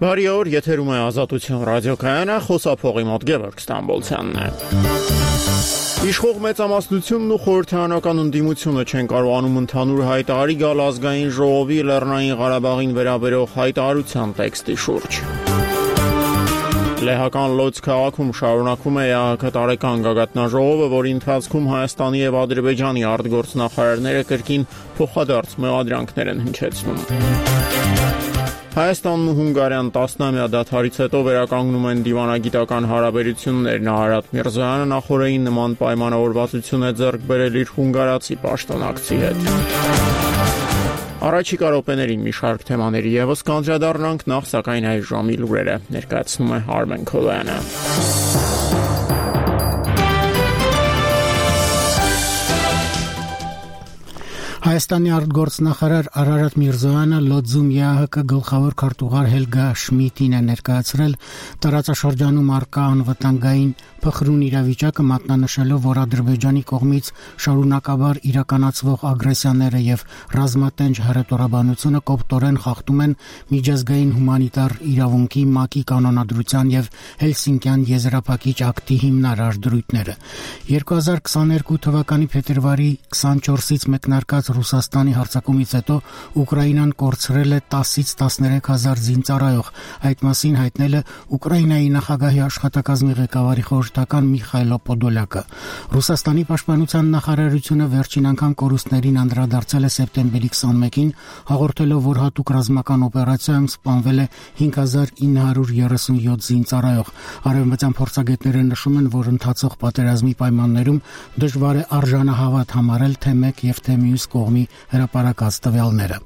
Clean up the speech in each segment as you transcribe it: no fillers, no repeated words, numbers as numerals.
Բարի օր, եթերում է Ազատություն ռադիոկայանը, խոսափողի մոտ Գևորգ Ստամբոլցյանն է։ Իշխող մեծամասնությունն ու խորհրդարանական ընդդիմությունը չեն կարողանում ընդհանուր հայտարարի գալ ազգային ժողովի Լեռնային Ղարաբաղին վերաբերող հայտարարության տեքստի շուրջ։ Լեհական Լոց քաղաքում շարունակվում է ԵԱՀԿ տարեկան գագաթնաժողովը, որի ընթացքում Հայաստանի եւ Ադրբեջանի արտգործնախարարները կրկին փոխադարձ մեղադրանքներ են հնչեցնում։ Հայաստանն ու Հունգարիան 10-ամյա դադարից հետո վերականգնում են դիվանագիտական հարաբերություններն։ Արարատ Միրզոյանը նախորդին նման պայմանավորվածություն է ձեռք բերել իր հունգարացի պաշտոնակցի հետ։ Առաջիկա րոպեներին մի շարք թեմաների եւս կանդրադառնանք, նախ սակայն այս ժամի լուրերը ներկայացնում է Արմեն Քոլոյանը։ Հայաստանի արտգործնախարար Արարատ Միրզոյանը Լոձում ԵԱՀԿ գլխավոր քարտուղար Հելգա Շմիդտին է ներկայացրել տարածաշրջանում առկա անվտանգային փխրուն իրավիճակը, մատնանշելով, որ Ադրբեջանի կողմից շարունակաբար իրականացվող ագրեսիաները եւ ռազմատենչ հռետորաբանությունը կոպտորեն խախտում են միջազգային հումանիտար իրավունքի, ՄԱԿ-ի կանոնադրության եւ Հելսինկյան եզրափակիչ ակտի հիմնարար դրույթները։ 2022 թվականի փետրվարի 24-ից մեկնարկած Ռուսաստանի հարձակումից հետո Ուկրաինան կորցրել է 10-ից 13,000 զինծառայող, այդ մասին հայտնել է Ուկրաինայի նախագահի աշխատակազմի ղեկավարի խորհրդական Միխայլո Պոդոլյակը։ Ռուսաստանի պաշտպանության նախարարությունը վերջին անգամ կորուստներին անդրադարձել է սեպտեմբերի 21-ին, հաղորդելով, որ հատուկ ռազմական օպերացիայում սպանվել է 5937 զինծառայող։ Արևմտյան փորձագետները նշում են, որ ընթացող պատերազմի պայմաններում դժվար է արժանահավատ համարել թե մեկ եւ թե մյուս կողմի հրապարակած տվյալները։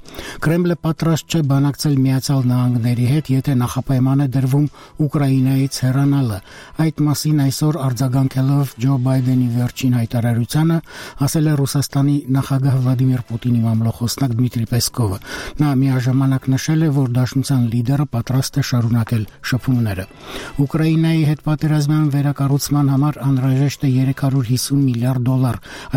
Կրեմլը պատրաստ չէ բանակցել Միացյալ Նահանգների հետ, եթե նախապայման է դրվում Ուկրաինայից հեռանալը։ Այդ մասին այսօր արձագանքելով Ջո Բայդենի վերջին հայտարարությանը, ասել է Ռուսաստանի նախագահ Վլադիմիր Պուտինի մամլոխոսնակ Դմիտրի Պեսկովը։ Նա միաժամանակ նշել է, որ դաշնության լիդերը պատրաստ է շարունակել շփումները։ Ուկրաինայի հետ պատերազմյան վերակառուցման համար անհրաժեշտ է $350 միլիարդ։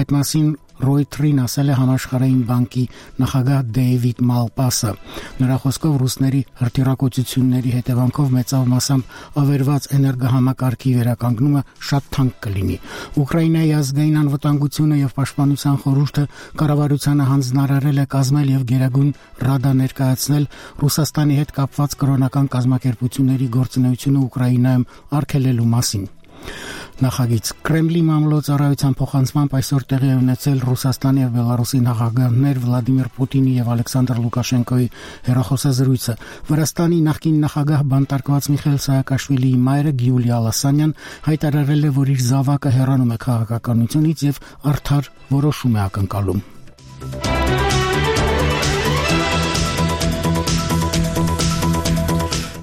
Այդ մասին Ռոյթերին ասել է Համաշխարհային բանկի նախագահ Դեյվիդ Մալպասը։ Նրա խոսքով ռուսների հրթիռակոծությունների հետևանքով մեծավ մասամբ ավերված էներգոհամակարգի վերականգնումը շատ թանկ կլինի։ Ուկրաինայի ազգային անվտանգությունը եւ պաշտպանության խորհուրդը կառավարությանը հանձնարարել է կազմել եւ Գերագույն Ռադա ներկայացնել Ռուսաստանի հետ կապված կրոնական կազմակերպությունների գործունեությունը Ուկրաինայում արգելելու մասին։ Նախագիծ Կրեմլի մամլոյցարայության փոխանցմամբ այսօր տեղի է ունեցել Ռուսաստանի եւ Բելարուսի նախագահներ Վլադիմիր Պուտինի եւ Ալեքսանդր Լուկաշենկոյի հեռախոսազրույցը։ Վրաստանի նախկին նախագահ բանտարկված Միխայել Սաակաշվիլիի մայրը Գյուլիա Լասանյան հայտարարել է, որ իր զավակը հեռանում է քաղաքականությունից եւ արդար որոշում է ակնկալում։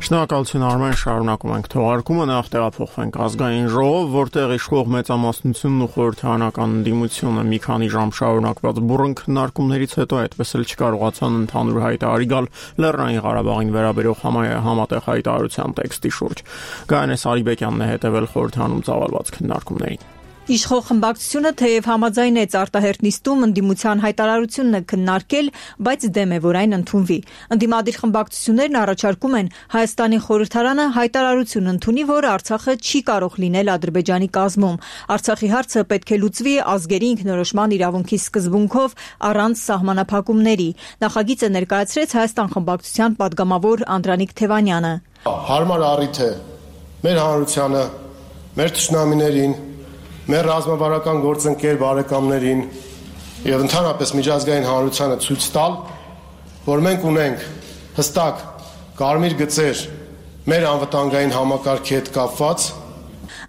Շնորհակալություն Արմեն, շարունակում ենք թողարկումը, նախ տեղափոխվենք ազգային ժողով, որտեղ իշխող մեծամասնությունն ու խորհրդարանական ընդդիմությունը մի քանի ժամ շարունակված բուռն քննարկումներից հետո այդպես էլ չկարողացան ընդհանուր հայտարարի գալ Լեռնային Ղարաբաղին վերաբերող համատեղ հայտարարության տեքստի շուրջ։ Գայանե Սարիբեկյանն է հետևել խորհրդարանում ծավալված քննարկումներին։ Իշխող խմբակցությունը թեև համաձայնեց արտահերթ նիստում ընդդիմության հայտարարությունն քննարկել, բայց դեմ է, որ այն ընդունվի։ Ընդդիմադիր խմբակցություններն առաջարկում են Հայաստանի խորհրդարանը հայտարարություն ընդունի, որ Արցախը չի կարող լինել Ադրբեջանի կազմում։ Արցախի հարցը պետք է լուծվի ազգերի ինքնորոշման իրավունքի սկզբունքով առանց սահմանափակումների։ Նախագիծը ներկայացրեց Հայաստան խմբակցության падգամավոր Անդրանիկ Թևանյանը։ Հարմար առիթ է մեր հանրությանը, մեր թշնամիներին, մեր ռազմավարական գործընկեր բարեկամներին եւ ընդհանրապես միջազգային հանրությանը ցույց տալ, որ մենք ունենք հստակ կարմիր գծեր մեր անվտանգային համակարգի հետ կապված։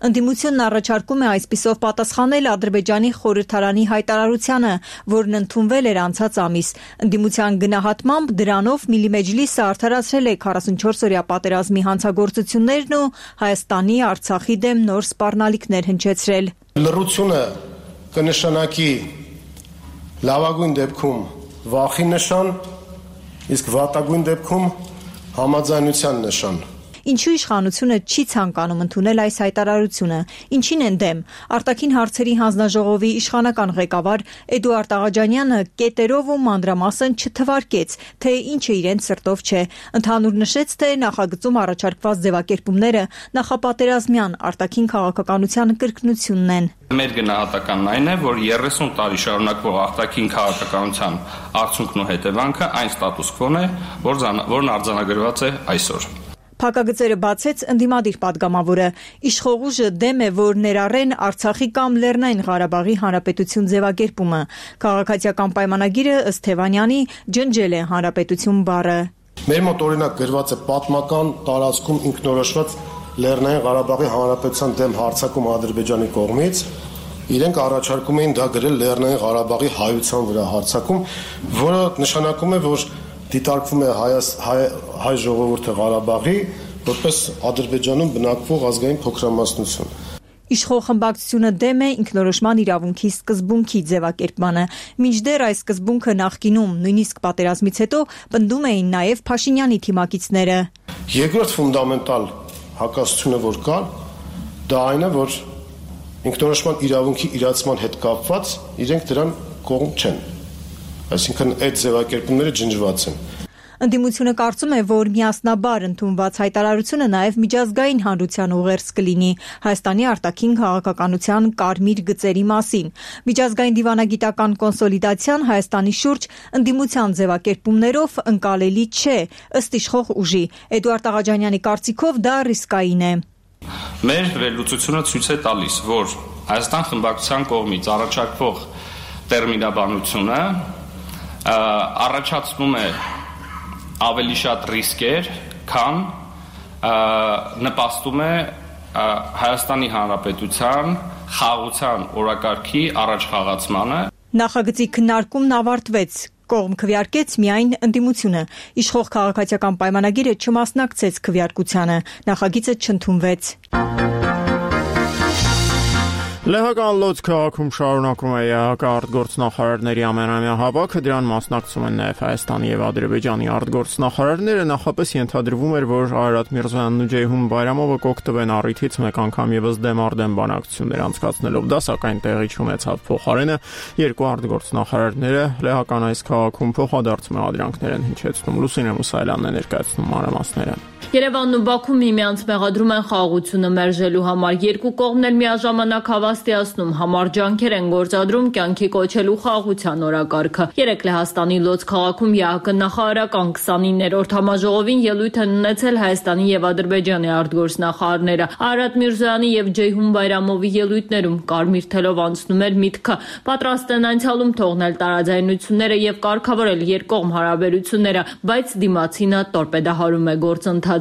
Ընդդիմությունն առաջարկում է այսպիսով պատասխանել Ադրբեջանի խորհրդարանի հայտարարությանը, որն ընդունվել էր անցած ամիս։ Ընդդիմության գնահատմամբ դրանով Միլիմեջլիսը արդարացրել է 44-օրյա պատերազմի հանցագործություններն ու Հայաստանի Արցախի դեմ նոր սպառնալիքներ հնչեցրել։ Լռությունը կնշանակի լավագույն դեպքում վախի նշան, իսկ վատագույն դեպքում համաձայնության նշան։ Ինչու իշխանությունը չի ցանկանում ընդունել այս հայտարարությունը, ինչին են դեմ։ Արտաքին հարցերի հանձնաժողովի իշխանական ղեկավար Էդուարդ Աղաջանյանը կետերով ու մանրամասն չթվարկեց, թե ինչը իրենց սրտով չէ։ Ընդհանուր նշեց, թե նախագծում առաջարկված ձևակերպումները նախապատերազմյան արտաքին քաղաքականության կրկնությունն են։ Մեր գնահատականն այն է, որ 30 տարի շարունակվող արտաքին քաղաքականության արդյունքն ու հետևանքը այն ստատուս քվոն է, որն արձանագրված է այսօր։ Փակագծերը բացեց ընդդիմադիր պատգամավորը։ Իշխող ուժը դեմ է, որ ներառեն Արցախի կամ Լեռնային Ղարաբաղի Հանրապետություն ձևակերպումը։ Քաղաքացիական պայմանագիրը ըստ Թևանյանի ջնջել է Հանրապետություն բառը։ Մեր մոտ օրինակ գրված է պատմական տարածքում ինքնորոշված Լեռնային Ղարաբաղի Հանրապետության դեմ հարձակում Ադրբեջանի կողմից, իրենք առաջարկում էին դա գրել Լեռնային Ղարաբաղի հայության վրա հարձակում, որը նշանակում է, որ դիտարկվում է հայ ժողովուրդը Ղարաբաղի որպես Ադրբեջանում բնակվող ազգային փոքրամասնություն։ Իշխող խմբակցությունը դեմ է ինքնորոշման իրավունքի սկզբունքի ձևակերպմանը։ Մինչդեռ այս սկզբունքը նախկինում, նույնիսկ պատերազմից հետո, պնդում էին նաև Փաշինյանի թիմակիցները։ Երկրորդ ֆունդամենտալ հակասությունը, որ կա, դա այն է, որ ինքնորոշման իրավունքի իրացման հետ կապված իրենք դրան կողմ չեն։ Այսինքն այդ ձևակերպումները ջնջված են։ Ընդդիմությունը կարծում է, որ միասնաբար ընդունված հայտարարությունը նաև միջազգային հանրության ուղերձ կլինի Հայաստանի արտաքին քաղաքականության կարմիր գծերի մասին։ Միջազգային դիվանագիտական կոնսոլիդացիան Հայաստանի շուրջ ընդդիմության ձևակերպումներով ընկալելի չէ, ըստ իշխող ուժի։ Էդուարդ Աղաջանյանի կարծիքով դա ռիսկային է։ Մեր վերլուծությունը ցույց է տալիս, որ Հայաստան խմբակցության կողմից առաջարկվող տերմինաբանությունը առաջացնում է ավելի շատ ռիսկեր, քան նպաստում է Հայաստանի Հանրապետության խաղաղության օրակարգի առաջխաղացմանը։ Նախագծի քննարկումն ավարտվեց։ Կողմ քվեարկեց միայն ընդդիմությունը։ Իշխող քաղաքացիական պայմանագիրը չմասնակցեց քվեարկությանը։ Նախագիծը չընդունվեց։ Լեհական Լոց քաղաքում շարունակում է ԵԱՀԿ արտգործնախարարների ամենամյա հավաքը, դրան մասնակցում են նաև Հայաստանի եւ Ադրբեջանի արտգործնախարարները, նախապես ենթադրվում էր, որ Արարատ Միրզոյանն ու Ջեյհուն Բայրամովը կօգտվեն առիթից մեկ անգամ եւս դեմ-արդեմ բանակցություններ անցկացնելով, դա սակայն տեղի չունեցավ։ Փոխարենը երկու արտգործնախարարները լեհական այս քաղաքում փոխադարձ մեղադրանքներ են հնչեցնում։ Լուսինե Մուսայելյանն է ներկայացնում մանրամասները։ Երևանն ու Բաքուն միմյանց մեղադրում են խաղաղությունը մերժելու համար։ Երկու կողմն էլ միաժամանակ հավաստիացնում համառ ջանքեր են գործադրում կյանքի կոչելու խաղաղության օրակարգը։ Երեկ Լեհաստանի Լոց քաղաքում ԵԱՀԿ նախարարական 29-րդ համաժողովին ելույթ են ունեցել Հայաստանի եւ Ադրբեջանի արտգործնախարարները։ Արարատ Միրզոյանի եւ Ջեյհուն Բայրամովի ելույթներում կարմիր թելով անցնում էր միտքը պատրաստ են անցյալում թողնել տարաձայնությունները եւ կարգավորել երկկողմ հարաբերությունները, բայց դիմացինը տորպեդահարում է գործընթացը։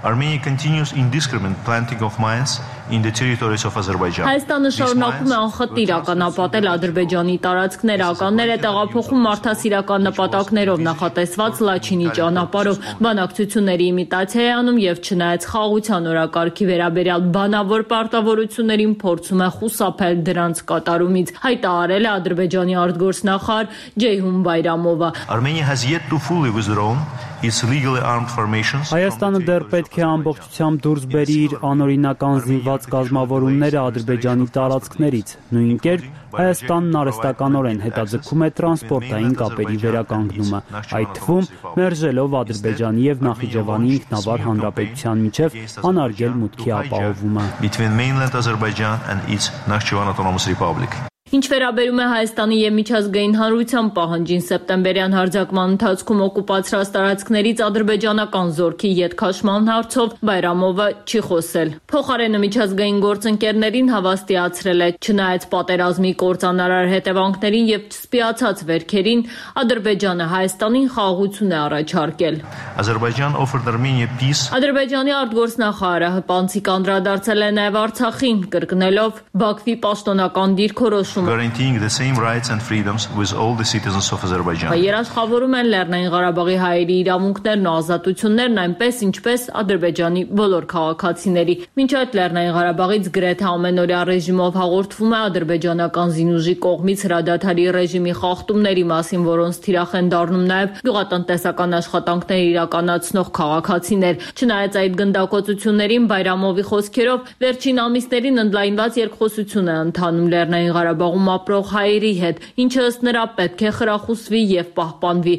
Armenia continues indiscriminate planting of mines in the territories of Azerbaijan. Հայաստանը շարունակում է անխտիր ականապատել Ադրբեջանի տարածքները, ականներ է տեղափոխում մարդասիրական նպատակներով նախատեսված Լաչինի ճանապարհով, բանակցությունների իմիտացիա է անում եւ չնայած խաղաղության օրակարգի վերաբերյալ բանավոր պարտավորություններին փորձում է խուսափել դրանց կատարումից, հայտարարել է Ադրբեջանի արտգործնախարար Ջեյհուն Բայրամովը։ Armenia has yet to fully withdrawn its legally armed formations. Հայաստանը դեռ պետք է ամբողջությամբ դուրս բերի իր անօրինական զինված կազմավորումները Ադրբեջանի տարածքներից։ Նույն կերպ Հայաստանն արհեստականորեն հետաձգում է տրանսպորտային կապերի վերականգնումը, այդ թվում մերժելով Ադրբեջանի եւ Նախիջևանի ինքնավար հանրապետության միջև անարգել մուտքի ապահովումը։ Between mainland Azerbaijan and its Nakhchivan Autonomous Republic. Ինչ վերաբերում է Հայաստանի եւ միջազգային հանրության պահանջին, սեպտեմբերյան հարձակման ընթացքում օկուպացրած տարածքներից ադրբեջանական զորքի ետքաշման հարցով Բայրամովը չի խոսել։ Փոխարենը միջազգային գործընկերներին հավաստիացրել է, չնայած պատերազմի կործանարար հետևանքներին եւ չսպիացած վերքերին, Ադրբեջանը Հայաստանին խաղաղություն է առաջարկել։ Azerbaijan offered Armenia peace. Ադրբեջանի արտգործնախարարը հպանցիկ անդրադարձել է նաեւ Արցախին, կրկնելով Բաքվի պաշտոնական դիրքորոշումը որոշումը։ Guaranteeing the same rights and freedoms with all the citizens of Azerbaijan. Երաշխավորում են Լեռնային Ղարաբաղի հայերի իրավունքներն ու ազատություններն այնպես ինչպես Ադրբեջանի բոլոր քաղաքացիների։ Մինչ այդ Լեռնային Ղարաբաղից գրեթե ամենօրյա ռեժիմով հաղորդվում է ադրբեջանական զինուժի կողմից հրադադարի ռեժիմի խախտումների մասին, որոնց թիրախ են դառնում նաև գյուղատնտեսական աշխատանքներ իրականացնող քաղաքացիներ։ Չնայած այդ գնդակոծություններին Բայրամովի խոսքերով վերջին ամիսներին ընդլայնված երկխոսություն է ընթանում Լեռնային Ղարաբաղում ապրող հայերի հետ, ինչը ըստ նրա պետք է խրախուսվի եւ պահպանվի։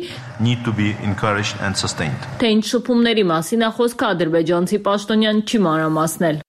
Need to be encouraged and sustained. Թե ինչ շփումների մասին է խոսքը, ադրբեջանցի պաշտոնյան չի մանրամասնել։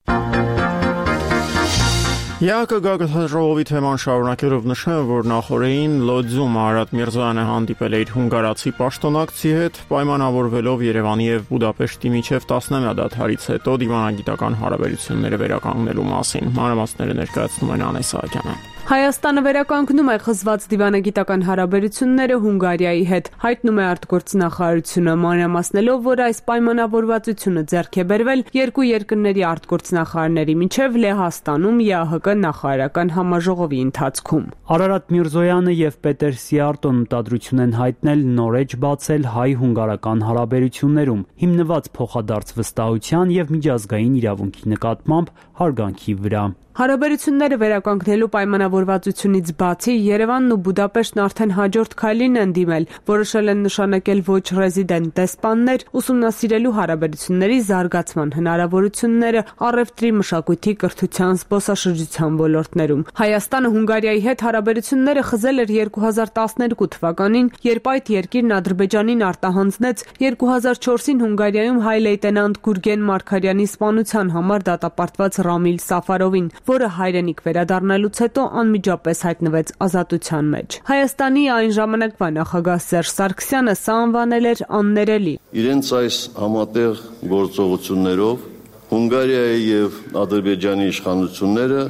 ԵԱԿ գագաթնաժողովի թեման շարունակելով նշեմ, որ նախորդին Լոձում Արարատ Միրզոյանը հանդիպել է իր հունգարացի պաշտոնակցի հետ, պայմանավորվելով Երևանի եւ Բուդապեշտի միջև 10-ամյա դադարից հետո դիվանագիտական հարաբերությունները վերականգնելու մասին։ Մանրամասները ներկայացնում են Անե Սահակյանը։ Հայաստանը վերականգնում է խզված դիվանագիտական հարաբերությունները Հունգարիայի հետ, հայտնում է արտգործնախարարությունը, մանրամասնելով, որ այս պայմանավորվածությունը ձեռք է բերվել երկու երկրների արտգործնախարարների միջև Լեհաստանում ԵԱՀԿ նախարարական համաժողովի ընթացքում։ Արարատ Միրզոյանը եւ Պետեր Սիարտոն մտադրություն են հայտնել նորեջ բացել հայ-հունգարական հարաբերություններում, հիմնված փոխադարձ վստահության եւ միջազգային իրավունքի նկատմամբ հարգանքի վրա։ Հարաբերությունները վերականգնելու պայմանավորվածությունից բացի Երևանն ու Բուդապեշտն արդեն հաջորդ քայլին են դիմել, որոշել են նշանակել ոչ ռեզիդենտ դեսպաններ, ուսումնասիրելու հարաբերությունների զարգացման հնարավորությունները առևտրի, մշակույթի, կրթության, զբոսաշրջության ոլորտներում։ Հայաստանը Հունգարիայի հետ հարաբերությունները խզել էր 2012 թվականին, երբ այդ երկիրն Ադրբեջանին արտահանձնեց 2004-ին Հունգարիայում հայ լեյտենանտ Գուրգեն Մարգարյանի սպանության համար դատապարտված Ռամիլ Սաֆարովին, որը հայրենիք վերադառնալուց հետո անմիջապես հայտնվեց ազատության մեջ։ Հայաստանի այն ժամանակվա նախագահ Սերժ Սարգսյանը սա անվանել էր աններելի։ Իրենց այս համատեղ գործողություններով Հունգարիայի եւ Ադրբեջանի իշխանությունները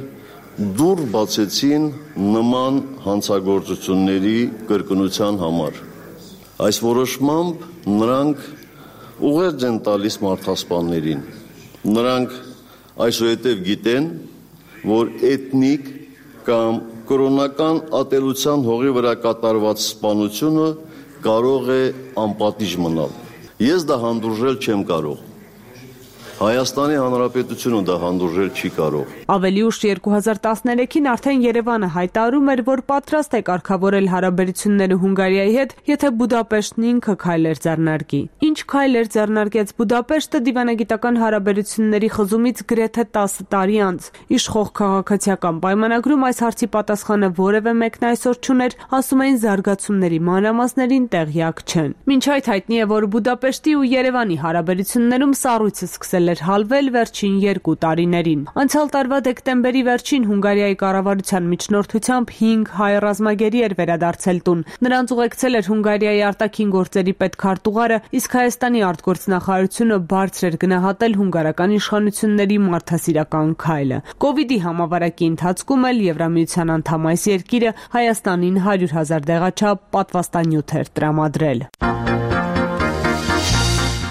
դուռ բացեցին նման հանցագործությունների կրկնության համար։ Այս որոշմամբ նրանք ուղերձ են տալիս մարդասպաններին։ Նրանք այսուհետև գիտեն, որ էթնիկ կամ կրոնական ատելության հողի վրա կատարված սպանությունը կարող է անպատիժ մնալ։ Ես դա հանդուրժել չեմ կարող։ Հայաստանի Հանրապետությունը դա հանդուրժել չի կարող։ Ավելի ուշ 2013-ին արդեն Երևանը հայտարարում էր, որ պատրաստ է կարգավորել հարաբերությունները Հունգարիայի հետ, եթե Բուդապեշտն ինքը քայլեր ձեռնարկի։ Ինչ քայլեր ձեռնարկեց Բուդապեշտը դիվանագիտական հարաբերությունների խզումից գրեթե 10 տարի անց։ Իշխող քաղաքացիական պայմանագրում այս հարցի պատասխանը որևէ մեկն այսօր չուներ, ասում էին զարգացումների մանրամասներին տեղյակ չեն։ Մինչ այդ հայտնի է, որ Բուդապեշտի ու Երևանի հարաբերություններում սառույցը սկսել էր հալվել վերջին 2 տարիներին։ Անցյալ տարվա դեկտեմբերի վերջին Հունգարիայի կառավարության միջնորդությամբ 5 հայ ռազմագերի էր վերադարձել տուն։ Նրանց ուղեկցել էր Հունգարիայի արտաքին գործերի պետքարտուղարը, իսկ Հայաստանի արտգործնախարարությունը բարձր էր գնահատել հունգարական իշխանությունների մարդասիրական քայլը։ Կովիդի համավարակի ընթացքում էլ Եվրամիության անդամ այս երկիրը Հայաստանին 100,000 դեղաչափ պատվաստանյութ էր տրամադրել։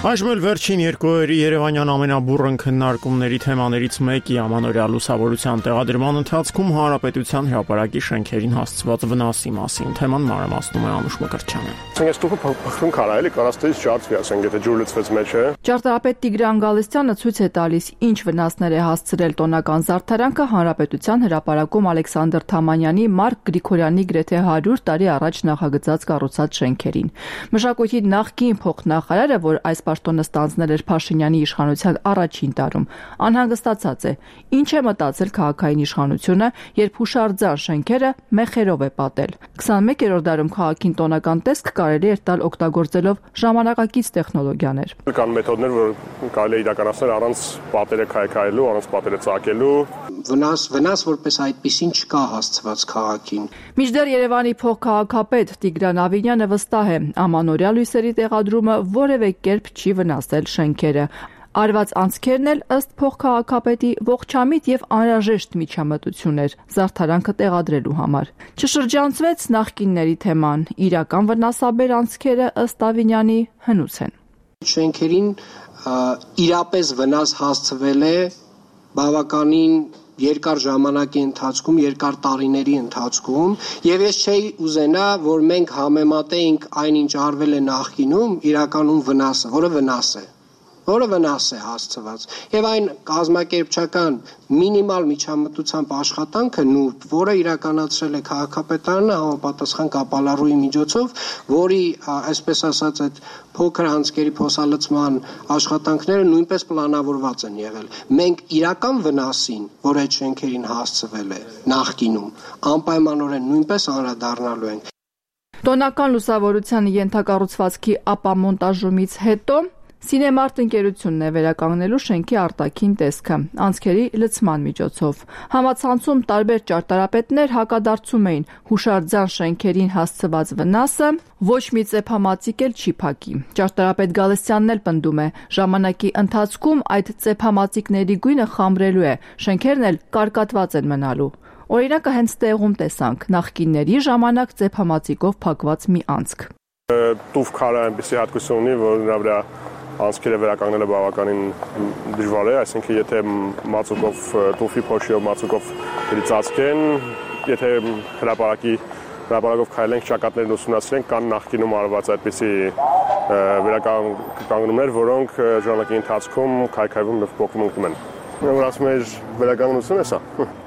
Այժմ էլ վերջին երկու օրերի Երևանյան ամենաբուռն քննարկումների թեմաներից մեկի ամանորյա լուսավորության տեղադրման ընթացքում Հանրապետության հրապարակի շենքերին հասցված վնասի մասին թեման մանրամասնում է Անուշ Մկրտչյանը։ Ցենգեստուփը փոխում կարա էլի կարաստից ջարդվի, ասենք, եթե ջուր լցվեց մեջ է։ Ճարտարապետ Տիգրան Գալստյանը ցույց է տալիս, ինչ վնասներ է հասցրել տոնական զարդարանքը Հանրապետության հրապարակում Ալեքսանդր Թամանյանի Մարկ Գրիգորյանի գրեթե 100 տարի առաջ նախագծած կառուցած շենքերին։ Մշակույթի նախկին փոխնախարարը, որ այս պաշտոնը ստանձնել էր Փաշինյանի իշխանության առաջին տարում, անհանգստացած է։ Ինչ է մտածել քաղաքային իշխանությունը, երբ հուշարձան շենքերը մեխերով է պատել։ 21-րդ դարում քաղաքին տոնական տեսք կարելի էր տալ օգտագործելով ժամանակակից տեխնոլոգիաներ։ Կան մեթոդներ, որ կարելի է իրականացնել առանց պատերը քայքայելու, առանց պատերը ծակելու։ Վնաս որպես այդպեսին չկա հասցված քաղաքին։ Մինչդեռ Երևանի փոխքաղաքապետ Տիգրան Ավինյանը վստահ է, ամանորյա լույսերի տեղադրումը որևէ կերպ չի վնասել շենքերը։ Արված անցքերն էլ ըստ փոխքաղաքապետի ողջամիտ եւ անհրաժեշտ միջամտություն էր զարդարանքը տեղադրելու համար։ Չշրջանցվեց նախկինների թեման, իրական վնասաբեր անցքերը ըստ Ավինյանի հնուց են։ Շենքերին իրապես վնաս հասցվել է բավականին երկար ժամանակի ընթացքում, երկար տարիների ընթացքում, եւ ես չէի ուզենա, որ մենք համեմատեինք այն, ինչ արվել է նախկինում, իրականում վնասը, որը վնաս է հասցված, եւ այն կազմակերպչական մինիմալ միջամտությամբ աշխատանքը նուրբ, որը իրականացրել է քաղաքապետարանը համապատասխան կապալառուի միջոցով, որի, այսպես ասած, այդ փոքր անցքերի փոսալցման աշխատանքները նույնպես պլանավորված են եղել։ Մենք իրական վնասին, որ այդ շենքերին հասցվել է նախկինում, անպայմանորեն նույնպես անդրադառնալու ենք։ Տոնական լուսավորության ենթակառուցվածքի ապամոնտաժումից հետո Սինեմարտ ընկերությունն է վերականգնելու շենքի արտաքին տեսքը անցքերի լցման միջոցով։ Համացանցում տարբեր ճարտարապետներ հակադարձում էին հուշարձան շենքերին հասցված վնասը ոչ մի ծեփամածիկ էլ չի փակի։ Ճարտարապետ Գալստյանն էլ պնդում է, ժամանակի ընթացքում այդ ծեփամածիկների գույնը խամրելու է, շենքերն էլ կարկատված են մնալու։ Օրինակը հենց տեղում տեսանք նախկինների ժամանակ ծեփամածիկով փակված մի անցք։ Տուֆ քարը այնպեսի հատկություն ունի, որ նրա վրա անցքերը վերականգնելը բավականին դժվար է, այսինքն եթե մածուկով տուֆի փոշիով մածուկով ծածկեն, եթե հրապարակով քայլենք, ճակատներն ուսումնասիրենք, կան նախկինում արված այդպիսի վերականգնումներ, որոնք ժամանակի ընթացքում քայքայվում եւ փոխվում են։ Որ ասում եմ, վերականգնությունը սա,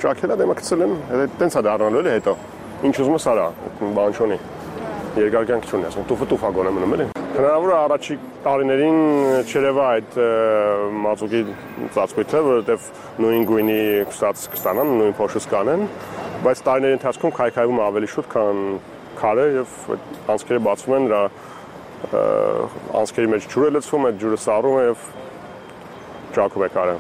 ճակելա դեմը գցել են, տենց է դառնալու էլի հետո։ Ինչ ուզում ես արա, բան չունի։ Երկար կյանք չունի, ասում տուֆը տուֆ ագոն է մնում էլի։ Հնարավոր է առաջի տարիներին չերևա այդ մածուկի ծածկույթը, որովհետև նույն գույնի կստանան, նույն փոշուց կանեն, բայց տարիների ընթացքում քայքայվում է ավելի շուտ, քան քարը եւ անցքերը բացվում են, նրա անցքերի մեջ ջուր է լցվում, այդ ջուրը սառում է եւ ճակում է քարը։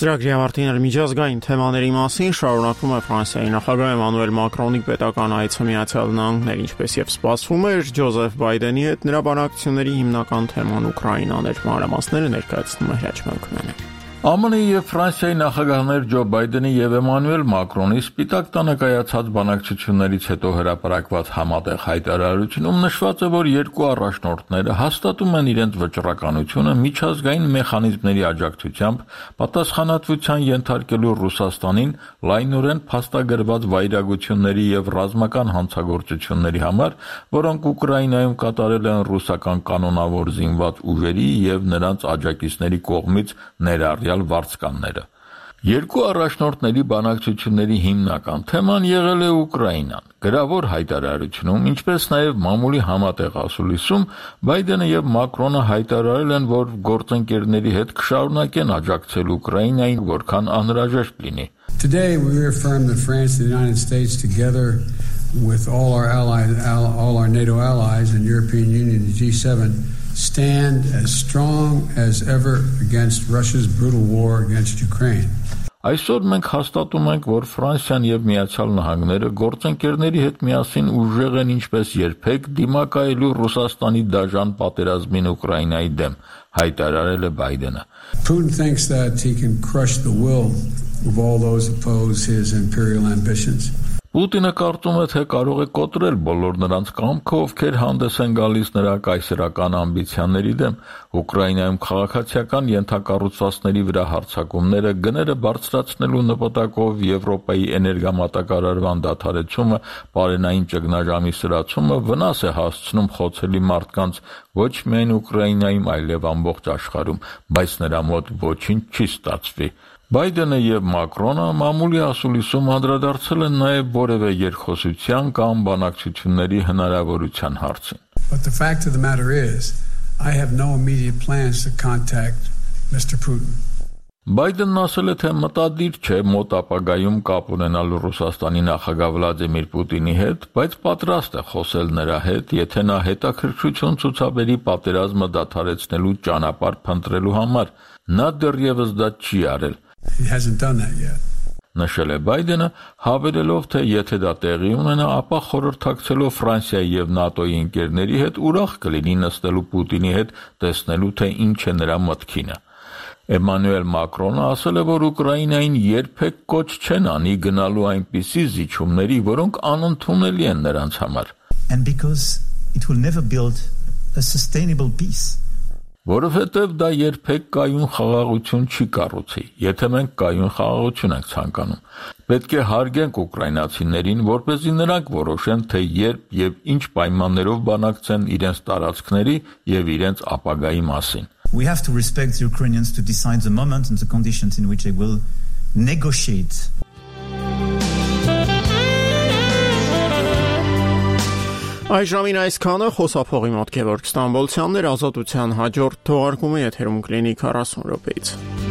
Ծրագրի ավարտին միջազգային թեմաների մասին շարունակվում է Ֆրանսիայի նախագահ Էմանուել Մակրոնի պետական այցը Միացյալ Նահանգներ, ինչպես եւ սպասվում էր Ջոզեֆ Բայդենի հետ նրա բանակցությունների հիմնական թեման Ուկրաինան էր։ Մանրամասները ներկայացնում է Հրաչ Մելքոնյանը։ ԱՄՆ-ի եւ Ֆրանսիայի նախագահներ Ջո Բայդենի եւ Էմանուել Մակրոնի Սպիտակ տանը կայացած բանակցություններից հետո հրապարակված համատեղ հայտարարությունում նշված է, որ երկու առաջնորդները հաստատում են իրենց վճռականությունը միջազգային մեխանիզմների աջակցությամբ պատասխանատվության ենթարկելու Ռուսաստանին լայնորեն փաստագրված վայրագությունների եւ ռազմական հանցագործությունների համար, որոնք Ուկրաինայում կատարել են ռուսական կանոնավոր զինված ուժերի եւ նրանց աջակիցների կողմից ներառյալ վարձկանները։ Երկու առաջնորդների բանակցությունների հիմնական թեման եղել է Ուկրաինան։ Գրավոր հայտարարությունում, ինչպես նաև մամուլի համատեղ ասուլիսում, Բայդենը եւ Մակրոնը հայտարարել են, որ գործընկերների հետ կշարունակեն աջակցել Ուկրաինային, որքան անհրաժեշտ լինի։ Today we reaffirm that France and the United States together with all our NATO allies and European Union and G7 stand as strong as ever against Russia's brutal war against Ukraine. Այսօր մենք հաստատում ենք, որ Ֆրանսիան եւ Միացյալ Նահանգները գործընկերների հետ միասին ուժեղ են ինչպես երբեք դիմակայելու Ռուսաստանի դաժան պատերազմին Ուկրաինայի դեմ, հայտարարել է Բայդենը։ Putin thinks that he can crush the will of all those oppose his imperial ambitions. Պուտինը կարծում է, թե կարող է կոտրել բոլոր նրանց կամքը, ովքեր հանդես են գալիս նրա կայսերական ամբիցիաների դեմ։ Ուկրաինայում քաղաքացիական ենթակառուցվածքների վրա հարձակումները, գները բարձրացնելու նպատակով Եվրոպայի էներգամատակարարման դադարեցումը, պարենային ճգնաժամի սրացումը վնաս է հասցնում խոցելի մարդկանց ոչ միայն Ուկրաինայում, այլև ամբողջ աշխարհում, բայց նրա մոտ ոչինչ չի ստացվի։ Բայդենը եւ Մակրոնը մամուլի ասուլիսում անդրադարձել են նաեւ որևէ երկխոսության կամ բանակցությունների հնարավորության հարցին։ But the fact of the matter is, I have no immediate plans to contact Mr. Putin. Բայդենն ասել է, թե մտադիր չէ մոտ ապագայում կապ ունենալ Ռուսաստանի նախագահ Վլադիմիր Պուտինի հետ, բայց պատրաստ է խոսել նրա հետ, եթե նա հետաքրքրություն ցուցաբերի պատերազմը դադարեցնելու ճանապարհ փնտրելու համար։ Նա դեռևս դա չի արել։ He hasn't done that yet. Նշել է Բայդենը, հավելելով, թե եթե դա տեղի ունենա, ապա խորհրդակցելով Ֆրանսիայի եւ ՆԱՏՕ-ի ընկերների հետ ուրախ կլինի նստելու Պուտինի հետ, տեսնելու, թե ինչ է նրա մտքինը։ Էմանուել Մակրոնը ասել է, որ Ուկրաինային երբեք կոչ չեն անի գնալու այնպիսի զիջումների, որոնք անընդունելի են նրանց համար։ And because it will never build a sustainable peace. Որովհետև դա երբեք կայուն խաղաղություն չի կառուցի, եթե մենք կայուն խաղաղություն ենք ցանկանում։ Պետք է հարգենք ուկրաինացիներին, որպեսզի նրանք որոշեն, թե երբ եւ ինչ պայմաններով բանակցեն իրենց տարածքների եւ իրենց ապագայի մասին։ We have to respect the Ukrainians to decide the moment and the conditions in which they will negotiate. Այժմին այսքանը խոսափողի մոտ Գևորգ Ստամբոլցյանն էր, Ազատության հաջորդ թողարկումը եթերում կլինի 40 րոպեից։